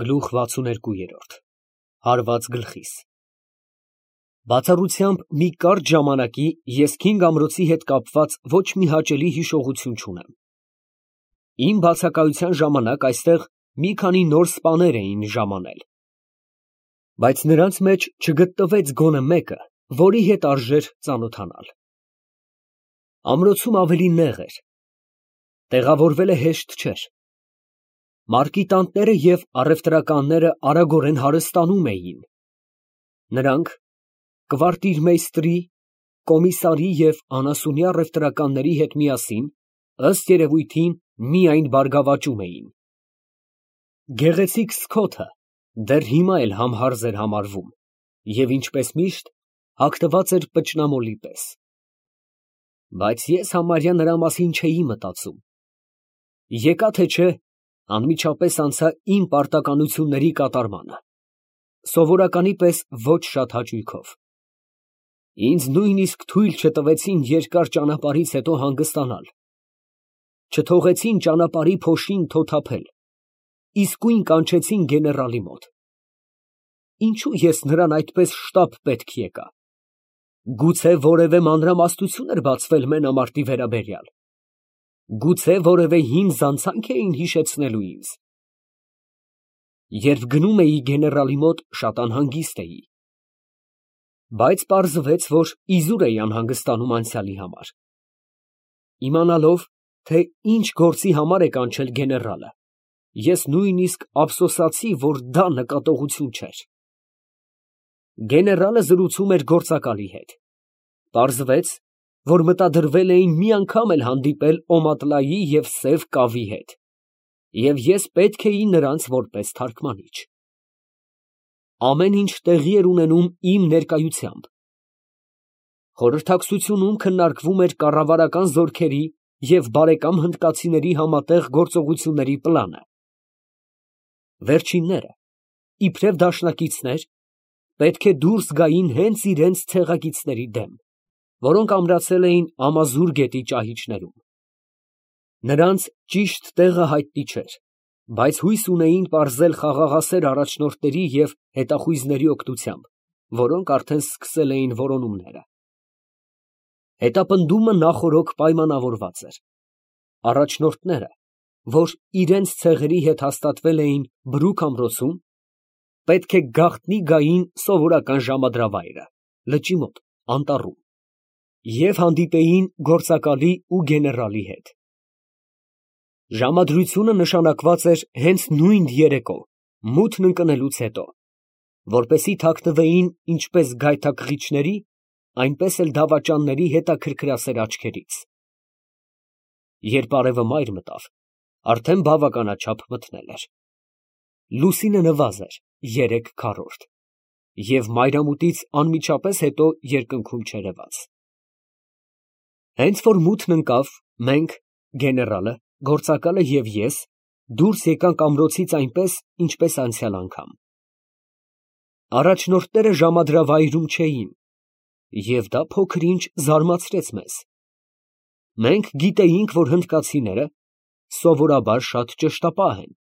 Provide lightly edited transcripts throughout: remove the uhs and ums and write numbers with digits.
Գլուխ 62 Հարված գլխիս Բացառությամբ մի կարճ ժամանակի ես Քինգ ամրոցի հետ կապված ոչ մի հաճելի հիշողություն չունեմ։ Իմ բացակայության ժամանակ այստեղ մի քանի նոր սպաներ էին ժամանել, բայց նրանց մեջ չգտնվեց գոնե մեկը, որի հետ արժեր ծանոթանալ։ Ամրոցում ավելի նեղ էր, տեղավորվելը հեշտ չէր։ Մարկիտանտները և առևտրականները արագորեն հարստանում էին։ Նրանք կվարտիրմեյստրի, կոմիսարի և անասունյա առևտրականների հետ միասին, ըստ երևույթին, միայն բարգավաճում էին։ Գեղեցիկ Սքոթը դեռ հիմա էլ համհարզ էր համարվում և, ինչպես միշտ, հագնված էր պճնամոլի պես։ Բայց ես համարյա նրա մասին չէի մտածում։ Եկա թե չէ, անմիջապես անցա իմ պարտականությունների կատարմանը, սովորականի պես ոչ շատ հաճույքով։ Ինձ նույնիսկ թույլ չտվեցին երկար ճանապարհից հետո հանգստանալ, չթողեցին ճանապարհի փոշին թոթափել, իսկույն կանչեցին գեներալի մոտ։ Ինչո՞ւ ես նրան այդպես շտապ պետք եկա։ Գուցե որևէ մանրամասնություն էր բացվել մենամարտի վերաբերյալ։ Գուցե որևէ հին զանցանք էին հիշեցնելու ինձ։ Երբ գնում էի գեներալի մոտ, շատ անհանգիստ էի, բայց պարզվեց, որ իզուր էի անհանգստանում անցյալի համար։ Իմանալով, թե ինչ գործի համար է կանչել գեներալը, ես նույնիսկ ափսոսացի, որ դա նկատողություն չէր։ Գեներալը զրուցում էր գործակալի հետ։ Պարզվեց, որ մտադրվել էին մի անգամ էլ հանդիպել Օմատլայի և սև կավի հետ, և ես պետք էի նրանց որպես թարգմանիչ։ Ամեն ինչ տեղի էր ունենում իմ ներկայությամբ։ Խորհրդակցությունում քննարկվում էր կառավարական զորքերի և բարեկամ հնդկացիների համատեղ գործողությունների պլանը։ Վերջինները, իբրև դաշնակիցներ, պետք է դուրս գային հենց իրենց ցեղակիցների դեմ, որոնք ամրացել էին Ամազուր գետի ճահիճներում։ Նրանց ճիշտ տեղը հայտնի չէր, բայց հույս ունեին պարզել խաղաղասեր առաջնորդների և հետախույզների օգնությամբ, որոնք արդեն սկսել էին որոնումները։ Հետապնդումը նախօրոք պայմանավորված էր։ Առաջնորդները, որ իրենց ցեղերի հետ հաստատվել էին Բրուք ամրոցում, պետք է գաղտնի գային սովորական ժամադրավայրը, լճի մոտ, անտառում, և հանդիպեին գործակալի ու գեներալի հետ։ Ժամադրությունը նշանակված էր հենց նույն երեկո, մութն ընկնելուց հետո, որպեսզի թաքնվեին ինչպես գայթակղիչների, այնպես էլ դավաճանների հետաքրքրասեր աչքերից։ Երբ արևը մայր մտավ, արդեն բավականաչափ մթնել էր։ Լուսինը նվազ էր 3/4 և մայրամուտից անմիջապես հետո երկնքում չերևաց։ Հենց որ մութն ընկավ, մենք, գեներալը, գործակալը և ես դուրս եկանք ամրոցից այնպես, ինչպես անցյալ անգամ։ Առաջնորդները ժամադրավայրում չէին, և դա փոքր֊ինչ զարմացրեց մեզ։ Մենք գիտեինք, որ հնդկացիները սովորաբար շատ ճշտապահ են։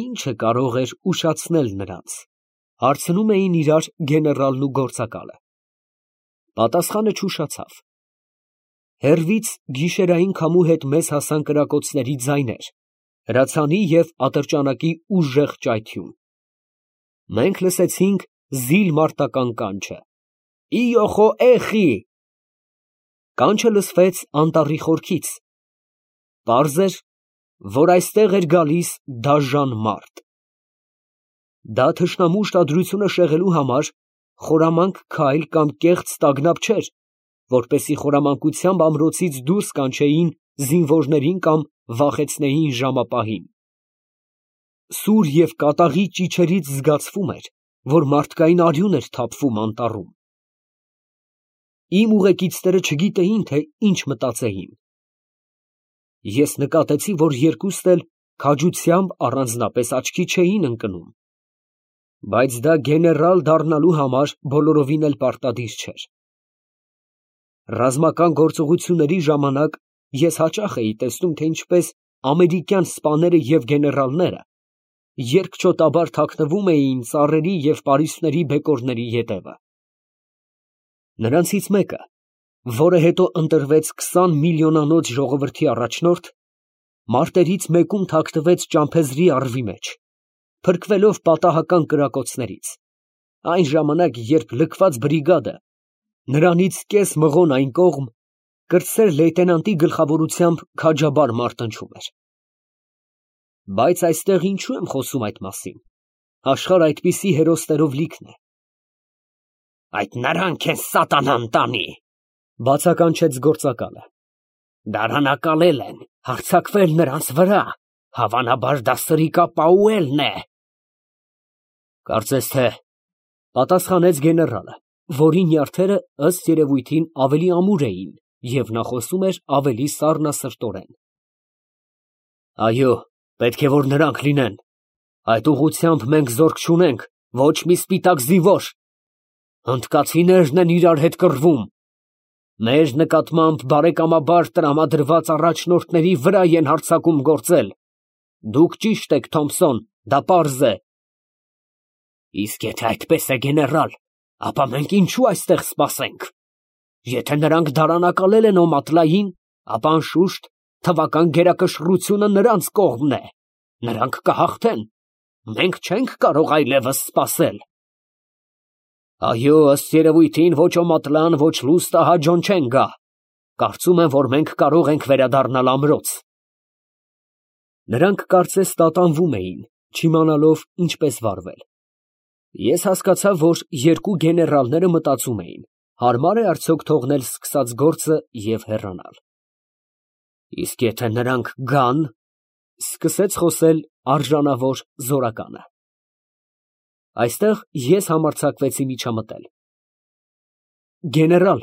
Ի՞նչը կարող էր ուշացնել նրանց, հարցնում էին իրար գեներալն ու գործակալը։ Պատասխանը չուշացավ։ Հեռվից գիշերային քամու հետ մեզ հասան կրակոցների ձայներ, հրացանի և ատրճանակի ուժեղ ճայթյուն։ Մենք լսեցինք զիլ մարտական կանչը. «Իո խո էխի»։ Կանչը լսվեց անտառի խորքից։ Պարզ էր, որ այստեղ էր գալիս դաժան մարդ։ Դա թշնամու ուշադրությունը շեղելու համար խորամանկ քայլ կամ կեղծ տագնապ չէր, որպեսզի խորամանկությամբ ամրոցից դուրս կանչեին զինվորներին կամ վախեցնեին ժամապահին։ Սուր և կատաղի ճիչերից զգացվում էր, որ մարդկային արյուն էր թափվում անտառում։ Իմ ուղեկիցները չգիտեին, թե ինչ մտածեին։ Ես նկատեցի, որ երկուստ էլ քաջությամբ առանձնապես աչքի չէին ընկնում, բայց դա գեներալ դառնալու համար բոլորովին էլ պարտադիր չէր։ Ռազմական գործողությունների ժամանակ ես հաճախ էի տեսնում, թե ինչպես ամերիկյան սպաները և գեներալները երկչոտաբար թաքնվում էին ծառերի և պարիսպների բեկորների ետևը։ Նրանցից մեկը, որը հետո ընտրվեց 20 միլիոնանոց ժողովրդի առաջնորդ, մարտերից մեկում թաքնվեց ճամփեզրի առվի մեջ, փրկվելով պատահական կրակոցներից, այն ժամանակ, երբ լքված բրիգադը նրանից կես մղոն այն կողմ կրտսեր լեյտենանտի գլխավորությամբ քաջաբար մարտնչում էր։ Բայց այստեղ ինչու եմ խոսում այդ մասին, աշխարհ այդպիսի հերոսներով լիքն է։ Այդ նրանք են սատանան տանի, բացականչեց գործակալը։ Դարանակալել են, հարձակվել նրանց վրա, հավանաբար դա Սրիկա Պաուելն է։ Կարծես թե, պատասխանեց գեներալը, որի նյարդերը ըստ երևույթին ավելի ամուր էին, և նա խոսում էր ավելի սառնասրտորեն։ Այո, պետք է որ նրանք լինեն, այդ ուղղությամբ մենք զորք չունենք, ոչ մի սպիտակ զինվոր, հնդկացիներն են իրար հետ կռվում, մեր նկատմամբ բարեկամաբար տրամադրված առաջնորդների վրա են հարձակում գործել, դուք ճիշտ եք, Թոմփսոն, դա պարզ է։ Իսկ եթե այդպես է, գեներալ, ապա մենք ինչու այստեղ սպասենք։ Եթե նրանք դարանակալել են Օմատլային, ապա անշուշտ թվական գերակշռությունը նրանց կողմն է, նրանք կհաղթեն, մենք չենք կարող այլևս սպասել։ Այո, ըստ երևույթին ոչ Օմատլան, ոչ Լուստը հաջող չեն գա, կարծում եմ, որ մենք կարող ենք վերադառնալ ամրոց։ Նրանք կարծես տատանվում էին, չիմանալով ինչպես վարվել։ Ես հասկացա, որ երկու գեներալները մտածում էին, հարմար է արդյոք թողնել սկսած գործը և հեռանալ։ Իսկ եթե նրանք գան, սկսեց խոսել արժանավոր զորականը։ Այստեղ ես համարձակվեցի միջամտել։ Գեներալ,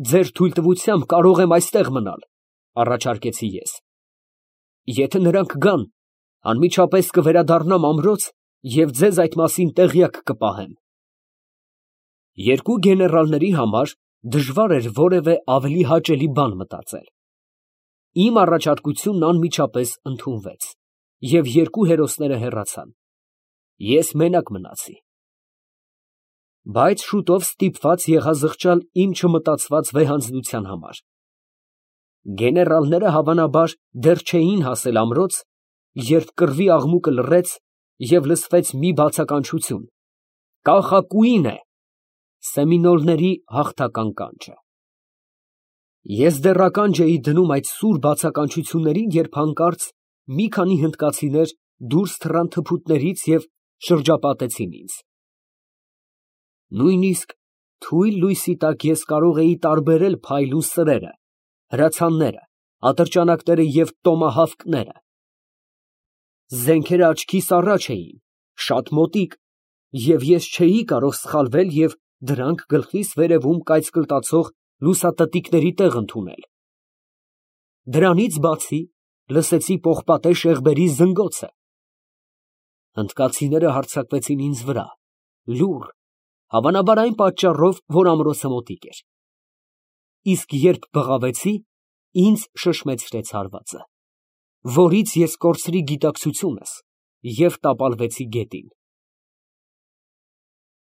ձեր թույլտվությամբ կարող եմ այստեղ մնալ, առաջարկեցի ես։ Եթե նրանք գան, անմիջապես կվերադառնամ ամրոց և ձեզ այդ մասին տեղյակ կպահեմ։ Երկու գեներալների համար դժվար էր որևէ ավելի հաճելի բան մտածել։ Իմ առաջարկությունն անմիջապես ընդունվեց, և երկու հերոսները հեռացան։ Ես մենակ մնացի։ Բայց շուտով ստիպված եղա զղջալ իմ չմտածված վեհանձնության համար։ Գեներալները հավանաբար դեռ չէին հասել ամրոց, երբ կռվի աղմուկը լռեց և լսվեց մի բացականչություն. «Կախակուին է», սեմինոլների հաղթական կանչը։ Ես դեռ ականջ էի դնում այդ սուր բացականչություններին, երբ հանկարծ մի քանի հնդկացիներ դուրս թռան թփուտներից և շրջապատեցին ինձ։ Նույնիսկ թույլ լույսի տակ ես կարող էի տարբերել փայլուն սրերը, հրացանները, ատրճանակները և տոմահավկները։ Զենքերը աչքիս առաջ էին, շատ մոտիկ, և ես չէի կարող սխալվել և դրանք գլխիս վերևում կայծկլտացող լուսատտիկների տեղ ընդունել։ Դրանից բացի լսեցի պողպատե շեղբերի զնգոցը։ Հնդկացիները հարձակվեցին ինձ վրա, լուռ, հավանաբար այն պատճառով, որ ամրոցը մոտիկ էր։ Իսկ երբ բղավեցի, ինձ շշմեցրեց հարվածը, որից ես կորցրի գիտակցությունս և տապալվեցի գետին։